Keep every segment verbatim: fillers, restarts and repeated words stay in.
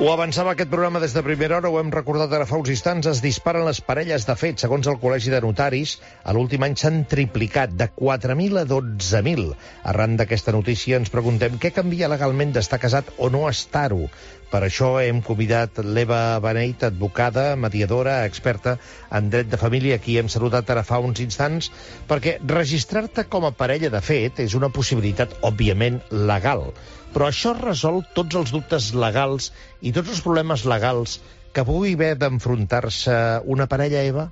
Ho avançava aquest programa des de primera hora, ho hem recordat ara fa uns instants, es disparen les parelles de fet. Segons el Col·legi de Notaris, a l'últim any s'han triplicat de quatre mil a dotze mil. Arran d'aquesta notícia ens preguntem què canvia legalment d'estar casat o no estar-ho. Per això hem convidat l'Eva Beneit, advocada, mediadora, experta en dret de família, a qui hem saludat ara fa uns instants, perquè registrar-te com a parella de fet és una possibilitat, òbviament, legal. Però això resol tots els dubtes legals i tots els problemes legals que pugui haver d'enfrontar-se una parella, Eva?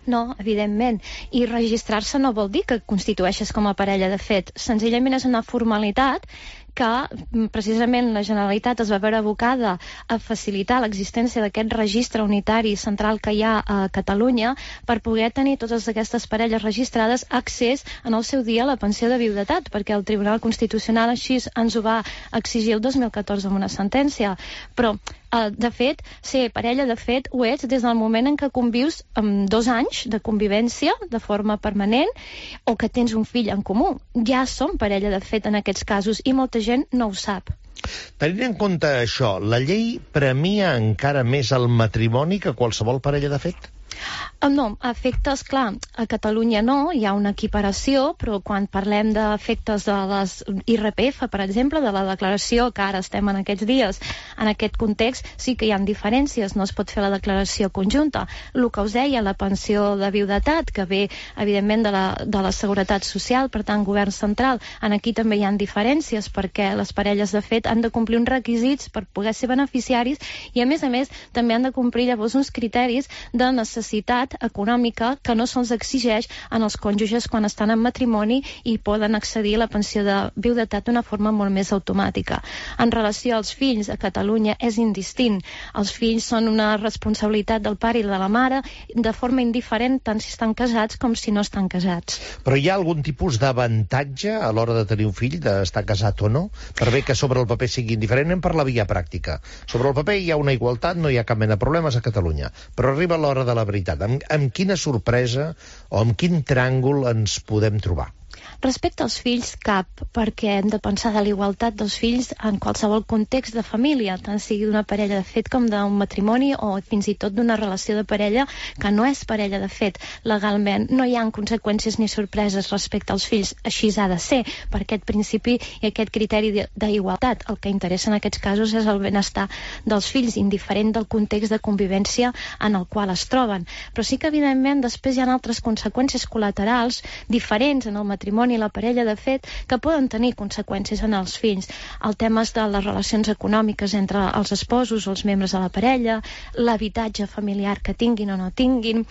No, evidentment. I registrar-se no vol dir que constitueixes com a parella de fet. Senzillament és una formalitat que precisament la Generalitat es va veure abocada a facilitar l'existència d'aquest registre unitari central que hi ha a Catalunya per poder tenir totes aquestes parelles registrades accés en el seu dia a la pensió de viudetat, perquè el Tribunal Constitucional així ens ho va exigir el dos mil catorze amb una sentència. Però de fet, ser parella de fet ho ets des del moment en què convius amb dos anys de convivència de forma permanent o que tens un fill en comú. Ja som parella de fet en aquests casos i molta gent no ho sap. Tenint en compte això, la llei premia encara més el matrimoni que qualsevol parella de fet? No, efectes, clar, a Catalunya no, hi ha una equiparació, però quan parlem d'efectes de les I R P F, per exemple, de la declaració, que ara estem en aquests dies, en aquest context, sí que hi ha diferències, no es pot fer la declaració conjunta. El que us deia, la pensió de viudetat, que ve, evidentment, de la, de la Seguretat Social, per tant, govern central, en aquí també hi ha diferències, perquè les parelles de fet han de complir uns requisits per poder ser beneficiaris i, a més a més, també han de complir llavors uns criteris de necessitat econòmica que no se'ls exigeix en els cònjuges quan estan en matrimoni i poden accedir a la pensió de viudetat d'una forma molt més automàtica. En relació als fills, a Catalunya és indistint. Els fills són una responsabilitat del pare i de la mare de forma indiferent tant si estan casats com si no estan casats. Però hi ha algun tipus d'avantatge a l'hora de tenir un fill, d'estar casat o no? Per bé que sobre el paper sigui indiferent, anem per la via pràctica. Sobre el paper hi ha una igualtat, no hi ha cap mena de problemes a Catalunya. Però arriba l'hora de la veritat. Amb, amb quina sorpresa o amb quin tràngol ens podem trobar? Respecte als fills, cap, perquè hem de pensar de la igualtat dels fills en qualsevol context de família, tant sigui d'una parella de fet com d'un matrimoni o fins i tot d'una relació de parella que no és parella de fet. Legalment no hi ha conseqüències ni sorpreses respecte als fills, així ha de ser, per aquest principi i aquest criteri d'igualtat. El que interessa en aquests casos és el benestar dels fills, indiferent del context de convivència en el qual es troben. Però sí que, evidentment, després hi ha altres conseqüències col·laterals diferents en el matrimoni i la parella de fet que poden tenir conseqüències en els fills. El tema de les relacions econòmiques entre els esposos o els membres de la parella, l'habitatge familiar que tinguin o no tinguin.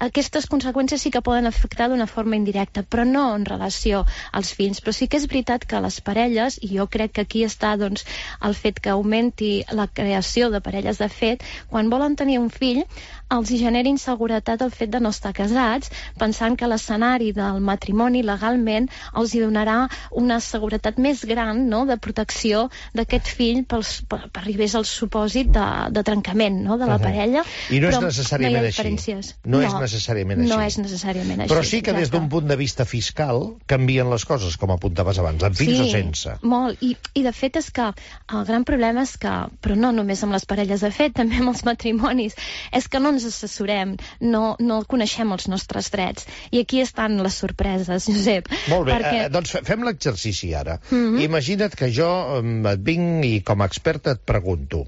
Aquestes conseqüències sí que poden afectar d'una forma indirecta, però no en relació als fills. Però sí que és veritat que les parelles, i jo crec que aquí està doncs, el fet que augmenti la creació de parelles de fet, quan volen tenir un fill, els hi genera inseguretat el fet de no estar casats, pensant que l'escenari del matrimoni legalment els hi donarà una seguretat més gran, no?, de protecció d'aquest fill pels, per, per arribés al supòsit de, de trencament, no?, de la uh-huh. parella. I no és necessàriament no així. No, no és necessàriament així. No és necessàriament així. Però sí que des d'un punt de vista fiscal canvien les coses, com apuntaves abans, amb fills sí, o sense. Molt. I, I de fet és que el gran problema és que, però no només amb les parelles de fet, també amb els matrimonis, és que no ens assessorem, no, no coneixem els nostres drets. I aquí estan les sorpreses, Josep. Molt bé, perquè... eh, doncs fem l'exercici ara. Mm-hmm. Imagina't que jo et vinc i com a experta et pregunto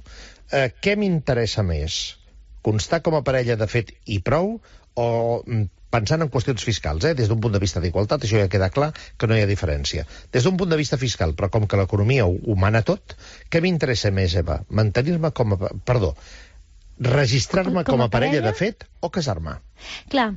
eh, què m'interessa més? Constar com a parella de fet i prou o pensant en qüestions fiscals, eh? Des d'un punt de vista d'igualtat, això ja queda clar que no hi ha diferència. Des d'un punt de vista fiscal, però com que l'economia ho, ho mana tot, què m'interessa més, Eva? Mantenir-me com a... Perdó, registrar-me com, com a parella, parella de fet o casar-me? Clar.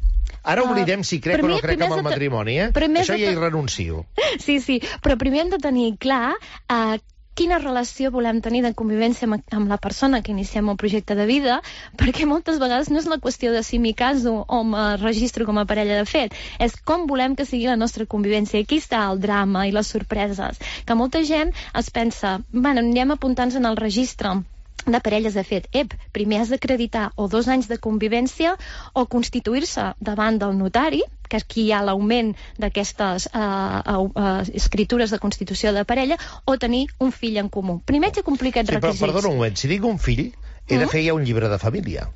Ara oblidem si crec o no crec en el matrimoni, eh? Això ja hi renuncio. Sí, sí, però primer hem de tenir clar uh, quina relació volem tenir de convivència amb, amb la persona que iniciem el projecte de vida, perquè moltes vegades no és la qüestió de si m'hi caso o me registro com a parella de fet, és com volem que sigui la nostra convivència. Aquí està el drama i les sorpreses, que molta gent es pensa, bueno, anem apuntant-nos en el registre de parelles de fet. Ep, primer has d'acreditar o dos anys de convivència o constituir-se davant del notari, que aquí hi ha l'augment d'aquestes eh, eh, escritures de constitució de parella, o tenir un fill en comú. Primer haig de complir aquests sí, requisits. Però, perdona un moment, si dic un fill, he de fer ja un llibre de família.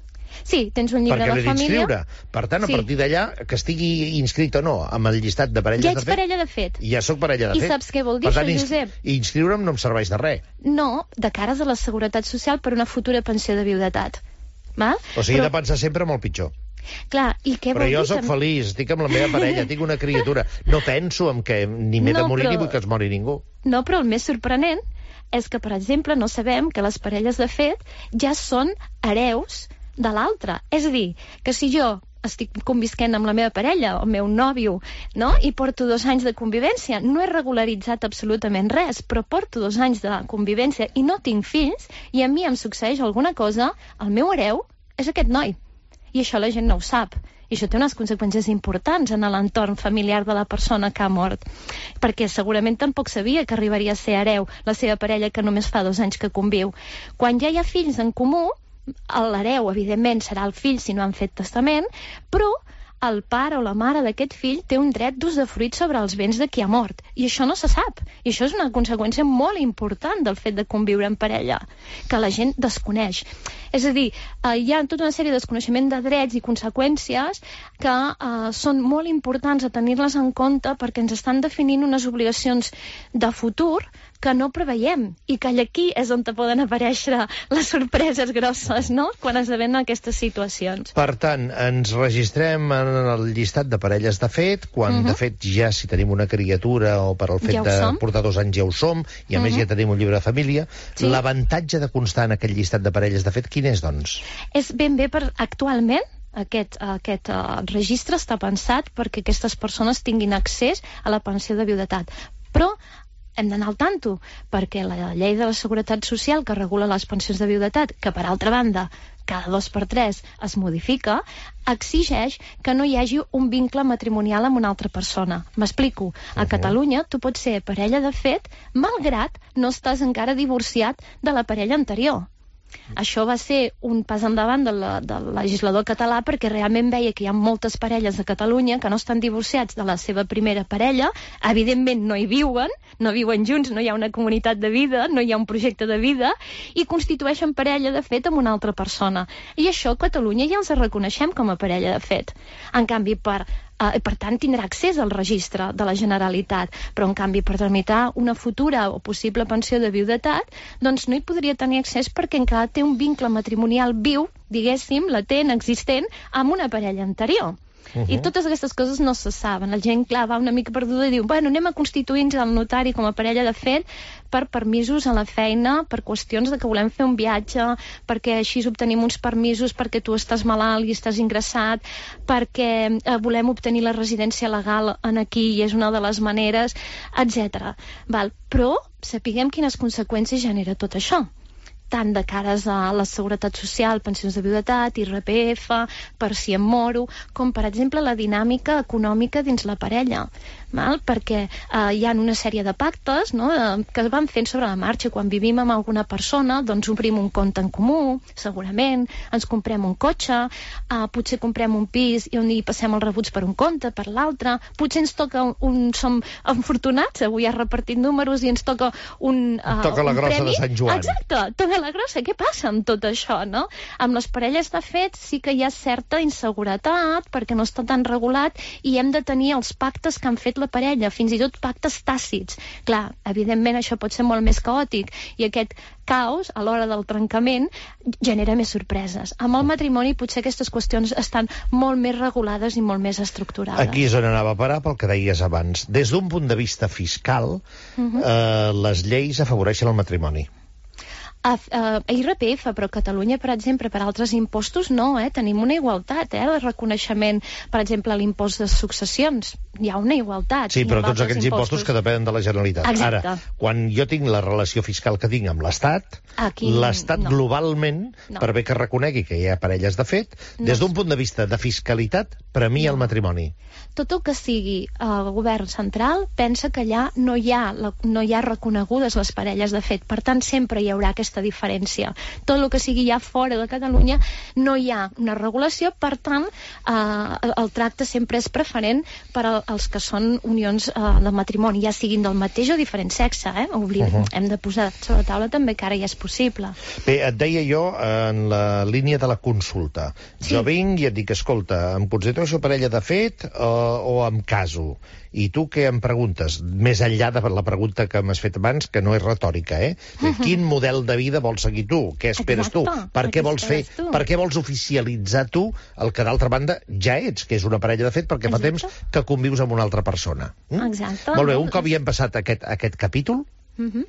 Sí, tens un llibre perquè de família. Inscriure. Per tant, a sí. partir d'allà, que estigui inscrit o no amb el llistat de parelles ja de fet... Ja ets parella de fet. Ja sóc parella de I fet. I saps què vol dir per tant, això, Josep? I inscriure'm no em serveix de res. No, de cares a la Seguretat Social per una futura pensió de viudetat. Val? O sigui, Però... he de pensar sempre molt pitjor. Clar, i què però vol jo dir sóc que... feliç, estic amb la meva parella, tinc una criatura. No penso en que ni m'he no, de morir però... ni vull que es mori ningú. No, però el més sorprenent és que, per exemple, no sabem que les parelles de fet ja són hereus de l'altre. És a dir, que si jo estic convisquent amb la meva parella, el meu nòvio, no? I porto dos anys de convivència, no he regularitzat absolutament res, però porto dos anys de convivència i no tinc fills, i a mi em succeeix alguna cosa, el meu hereu és aquest noi. I això la gent no ho sap. I això té unes conseqüències importants en l'entorn familiar de la persona que ha mort. Perquè segurament tampoc sabia que arribaria a ser hereu la seva parella, que només fa dos anys que conviu. Quan ja hi ha fills en comú, l'hereu, evidentment, serà el fill si no han fet testament, però el pare o la mare d'aquest fill té un dret d'usdefruit sobre els béns de qui ha mort. I això no se sap. I això és una conseqüència molt important del fet de conviure en parella, que la gent desconeix. És a dir, eh, hi ha tota una sèrie de desconeixement de drets i conseqüències que eh, són molt importants a tenir-les en compte perquè ens estan definint unes obligacions de futur que no preveiem i que aquí és on te poden aparèixer les sorpreses grosses, no?, quan esdevenen aquestes situacions. Per tant, ens registrem en el llistat de parelles de fet, quan uh-huh. de fet ja si tenim una criatura o per al fet ja de som. portar dos anys ja ho som, i a uh-huh. més ja tenim un llibre de família. Sí. L'avantatge de constar en aquest llistat de parelles de fet, quin és, doncs? És ben bé per actualment aquest, aquest uh, registre està pensat perquè aquestes persones tinguin accés a la pensió de viudetat. Però hem d'anar al tanto, perquè la llei de la Seguretat Social que regula les pensions de viudetat, que per altra banda cada dos per tres es modifica, exigeix que no hi hagi un vincle matrimonial amb una altra persona. M'explico. A Catalunya tu pots ser parella de fet malgrat no estàs encara divorciat de la parella anterior. Això va ser un pas endavant del, del legislador català perquè realment veia que hi ha moltes parelles de Catalunya que no estan divorciats de la seva primera parella, evidentment no hi viuen, no viuen junts, no hi ha una comunitat de vida, no hi ha un projecte de vida, i constitueixen parella de fet amb una altra persona. I això a Catalunya ja els reconeixem com a parella de fet. En canvi, per Uh, per tant, tindrà accés al registre de la Generalitat, però en canvi per tramitar una futura o possible pensió de viudetat, doncs no hi podria tenir accés perquè encara té un vincle matrimonial viu, diguéssim, latent, existent, amb una parella anterior. Uh-huh. I totes aquestes coses no se saben. La gent, clar, va una mica perduda i diu, bueno, anem a constituir-nos al notari com a parella de fet per permisos a la feina, per qüestions de que volem fer un viatge, perquè així obtenim uns permisos perquè tu estàs malalt i estàs ingressat, perquè eh, volem obtenir la residència legal en aquí i és una de les maneres, etcètera. Val? Però sapiguem quines conseqüències genera tot això, tant de cares a la Seguretat Social, pensions de viudetat, I R P F, per si em moro, com per exemple la dinàmica econòmica dins la parella, val? Perquè eh, hi ha una sèrie de pactes, no?, eh, que es van fent sobre la marxa. Quan vivim amb alguna persona, doncs obrim un compte en comú, segurament, ens comprem un cotxe, eh, potser comprem un pis i on hi passem els rebuts per un compte, per l'altre, potser ens toca un, un som afortunats, avui ha repartit números i ens toca un, uh, toca la un grossa premi. de Sant Joan. Exacte, toca la grossa. Què passa amb tot això, no? Amb les parelles de fet sí que hi ha certa inseguretat perquè no està tan regulat i hem de tenir els pactes que han fet la parella, fins i tot pactes tàcits. Clar, evidentment això pot ser molt més caòtic i aquest caos a l'hora del trencament genera més sorpreses. Amb el matrimoni potser aquestes qüestions estan molt més regulades i molt més estructurades. Aquí és on anava a parar pel que deies abans. Des d'un punt de vista fiscal, uh-huh. eh, les lleis afavoreixen el matrimoni. A, a, a I R P F, però a Catalunya, per exemple, per altres impostos no, eh? Tenim una igualtat, eh? El reconeixement, per exemple, l'impost de successions, hi ha una igualtat. Sí, però tots aquells impostos. impostos que depenen de la Generalitat. Exacte. Ara, quan jo tinc la relació fiscal que tinc amb l'Estat, l'Estat no. globalment, no. per bé que reconegui que hi ha parelles de fet, no. des d'un punt de vista de fiscalitat, premia no. el matrimoni. Tot el que sigui el govern central pensa que allà no hi ha, la, no hi ha reconegudes les parelles de fet. Per tant, sempre hi haurà aquesta aquesta diferència. Tot el que sigui ja fora de Catalunya no hi ha una regulació, per tant, eh, el tracte sempre és preferent per als que són unions eh, de matrimoni, ja siguin del mateix o diferent sexe, eh? Oblidem, uh -huh. Hem de posar sobre la taula també que ara ja és possible. Bé, et deia jo en la línia de la consulta. Sí. Jo vinc i et dic, escolta, em considero parella de fet o, o em caso? I tu què em preguntes? Més enllà de la pregunta que m'has fet abans, que no és retòrica, eh? Uh -huh. Quin model de vida vols seguir tu? Què esperes Exacte. tu? Per què vols fer? Tu? Per què vols oficialitzar tu el que d'altra banda ja ets, que és una parella de fet, perquè Exacte. fa temps que convius amb una altra persona. Mm? Exacte. Molt bé, un cop hi hem passat aquest, aquest capítol, uh -huh.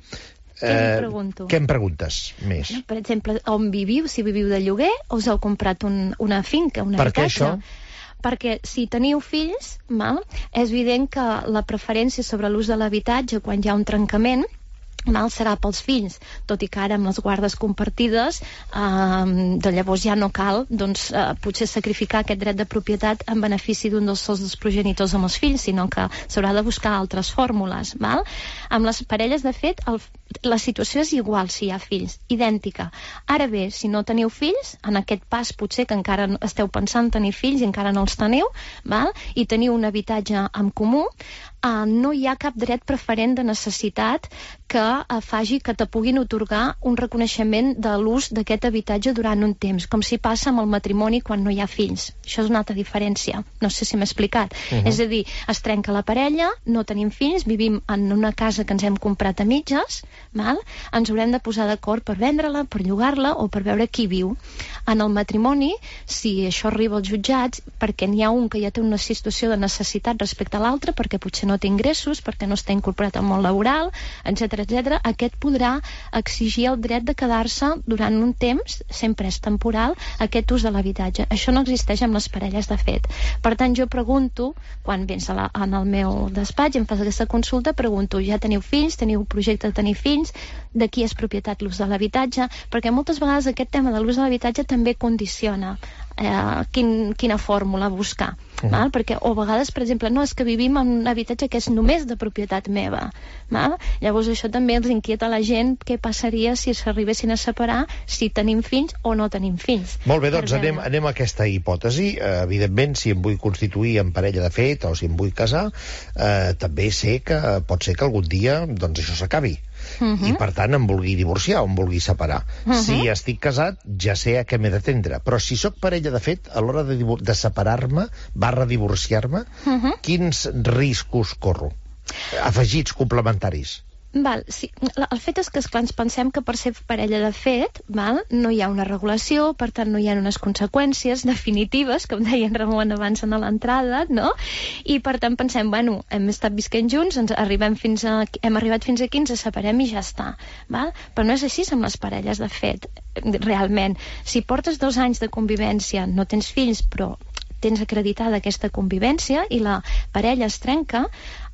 Eh, què em pregunto? Què em preguntes més? Per exemple, on viviu, si viviu de lloguer o us heu comprat un, una finca, un per habitatge? Per què això? Perquè si teniu fills, mal, és evident que la preferència sobre l'ús de l'habitatge quan hi ha un trencament mal serà pels fills, tot i que ara amb les guardes compartides eh, de llavors ja no cal doncs, eh, potser sacrificar aquest dret de propietat en benefici d'un dels sols dels progenitors amb els fills, sinó que s'haurà de buscar altres fórmules, val? Amb les parelles, de fet, el, la situació és igual si hi ha fills, idèntica. Ara bé, si no teniu fills, en aquest pas potser que encara esteu pensant tenir fills i encara no els teniu, val? I teniu un habitatge en comú, Uh, no hi ha cap dret preferent de necessitat que uh, faci que te puguin otorgar un reconeixement de l'ús d'aquest habitatge durant un temps, com si passa amb el matrimoni quan no hi ha fills. Això és una altra diferència. No sé si m'he explicat. Uh -huh. És a dir, es trenca la parella, no tenim fills, vivim en una casa que ens hem comprat a mitges, val? Ens haurem de posar d'acord per vendre-la, per llogar-la o per veure qui viu. En el matrimoni, si això arriba als jutjats, perquè n'hi ha un que ja té una situació de necessitat respecte a l'altre, perquè potser no té ingressos, perquè no està incorporat al món laboral, etcètera, etcètera, aquest podrà exigir el dret de quedar-se durant un temps, sempre és temporal, aquest ús de l'habitatge. Això no existeix amb les parelles de fet. Per tant, jo pregunto, quan vens a la, en el meu despatx, em fas aquesta consulta, pregunto, ja teniu fills, teniu projecte de tenir fills, de qui és propietat l'ús de l'habitatge? Perquè moltes vegades aquest tema de l'ús de l'habitatge també condiciona eh, quin, quina fórmula buscar. Uh-huh. Val? Perquè, o a vegades, per exemple, no, és que vivim en un habitatge que és només de propietat meva. Val? Llavors això també els inquieta a la gent què passaria si s'arribessin a separar, si tenim fills o no tenim fills. Molt bé, doncs anem, anem a aquesta hipòtesi. Uh, evidentment, si em vull constituir en parella de fet o si em vull casar, uh, també sé que pot ser que algun dia doncs això s'acabi. Uh-huh. I per tant em vulgui divorciar o em vulgui separar. Uh-huh. Si estic casat ja sé a què m'he d'atendre, però si sóc parella de fet, a l'hora de, de separar-me barra divorciar-me, uh-huh. quins riscos corro? Afegits complementaris. Val, sí. El fet és que, esclar, ens pensem que per ser parella de fet, val, no hi ha una regulació, per tant no hi ha unes conseqüències definitives, com deia en Ramon abans en l'entrada, no? I per tant pensem, bueno, hem estat visquent junts, ens arribem fins a, hem arribat fins aquí, ens separem i ja està, val? Però no és així amb les parelles de fet, realment. Si portes dos anys de convivència, no tens fills, però tens acreditada aquesta convivència i la parella es trenca,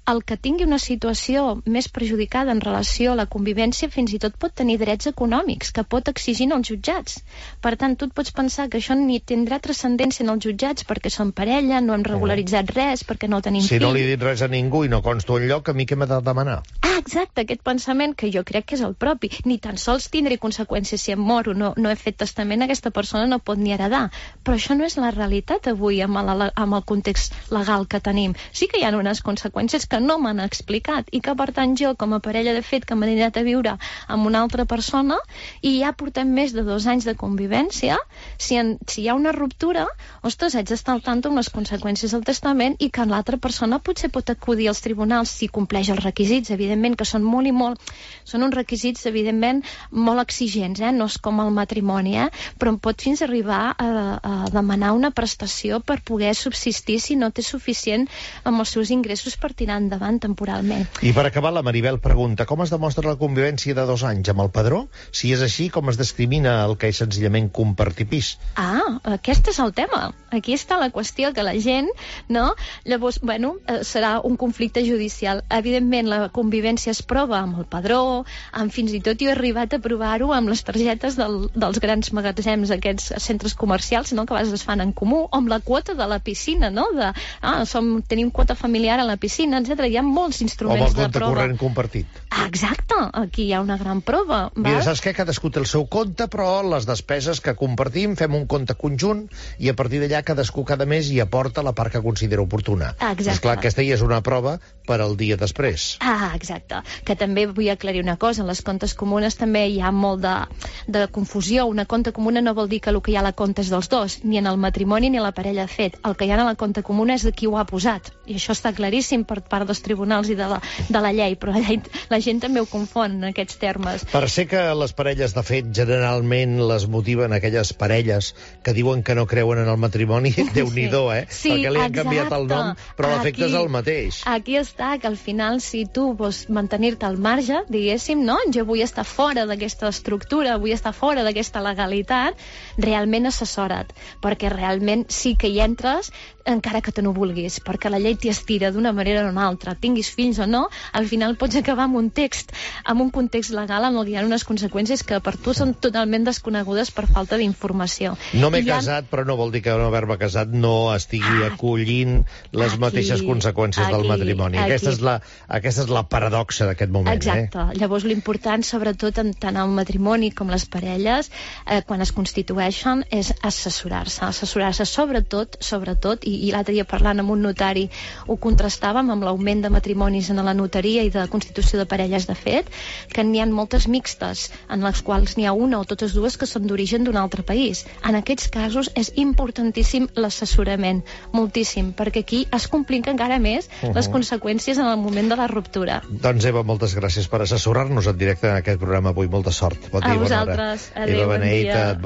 el que tingui una situació més perjudicada en relació a la convivència fins i tot pot tenir drets econòmics que pot exigir als jutjats. Per tant, tu et pots pensar que això ni tindrà transcendència en els jutjats perquè són parella, no hem regularitzat res, perquè no tenim si fills. Si no li he dit res a ningú i no consto enlloc, a mi què m'ha de demanar? Ah, exacte, aquest pensament que jo crec que és el propi. Ni tan sols tindré conseqüències si em moro, no, no he fet testament, aquesta persona no pot ni heredar. Però això no és la realitat avui amb el, amb el context legal que tenim. Sí que hi ha unes conseqüències que no m'han explicat i que per tant jo com a parella de fet que m'he anat a viure amb una altra persona i ja portem més de dos anys de convivència, si, en, si hi ha una ruptura, ostres, haig d'estar al tanto amb les conseqüències del testament i que l'altra persona potser pot acudir als tribunals si compleix els requisits, evidentment que són molt i molt, són uns requisits evidentment molt exigents, eh? No és com el matrimoni, eh? Però em pot fins arribar a, a demanar una prestació per poder subsistir si no té suficient amb els seus ingressos per tirar endavant temporalment. I per acabar, la Maribel pregunta, com es demostra la convivència de dos anys amb el padró? Si és així, com es discrimina el que és senzillament compartir pis? Ah, aquest és el tema. Aquí està la qüestió, que la gent, no? Llavors, bueno, serà un conflicte judicial. Evidentment, la convivència es prova amb el padró, amb fins i tot jo he arribat a provar-ho amb les targetes del, dels grans magatzems, aquests centres comercials, no?, que a vegades es fan en comú, o amb la quota de la piscina, no?, de, ah, som, tenim quota familiar a la piscina, etcètera. etcètera. Hi ha molts instruments de prova. O amb el compte corrent compartit. Ah, exacte, aquí hi ha una gran prova. Val? Mira, saps què? Cadascú té el seu compte, però les despeses que compartim fem un compte conjunt i a partir d'allà cadascú cada mes hi aporta la part que considera oportuna. Exacte. Esclar, aquesta ja és una prova per al dia després. Ah, exacte. Que també vull aclarir una cosa, en les comptes comunes també hi ha molt de, de confusió. Una compta comuna no vol dir que el que hi ha a la compta és dels dos, ni en el matrimoni ni a la parella fet. El que hi ha a la compta comuna és de qui ho ha posat. I això està claríssim per part dels tribunals i de la, de la llei, però la, la gent també ho confon en aquests termes. Per ser que les parelles de fet generalment les motiven aquelles parelles que diuen que no creuen en el matrimoni, Déu-n'hi-do, eh? Sí, perquè li han exacte. canviat el nom, però l'efecte és el mateix. Aquí està, que al final, si tu vols mantenir-te al marge, diguéssim, no? Jo vull estar fora d'aquesta estructura, vull estar fora d'aquesta legalitat, realment assessora't, perquè realment sí que hi entres encara que te no vulguis, perquè la llei t'hi estira d'una manera o una altra, tinguis fills o no, al final pots acabar amb un text, amb un context legal en el que hi ha unes conseqüències que per tu són totalment desconegudes per falta d'informació. No m'he ha... casat, però no vol dir que no haver-me casat no estigui ah, acollint les aquí, mateixes conseqüències aquí, del matrimoni. Aquí. Aquesta és la, aquesta és la paradoxa d'aquest moment. Exacte. Eh? Llavors l'important, sobretot en tant el matrimoni com les parelles, eh, quan es constitueixen, és assessorar-se. Assessorar-se sobretot, sobretot, i, i l'altre dia parlant amb un notari ho contrastàvem amb l'augment de matrimonis en la notaria i de constitució de parelles de fet, que n'hi ha moltes mixtes, en les quals n'hi ha una o totes dues que són d'origen d'un altre país. En aquests casos és importantíssim l'assessorament, moltíssim, perquè aquí es complica encara més uh -huh. les conseqüències en el moment de la ruptura. Doncs Eva, moltes gràcies per assessorar-nos en directe en aquest programa avui. Molta sort. Bon dia, a vosaltres. Bona hora. Adéu, Eva Beneita, bon dia.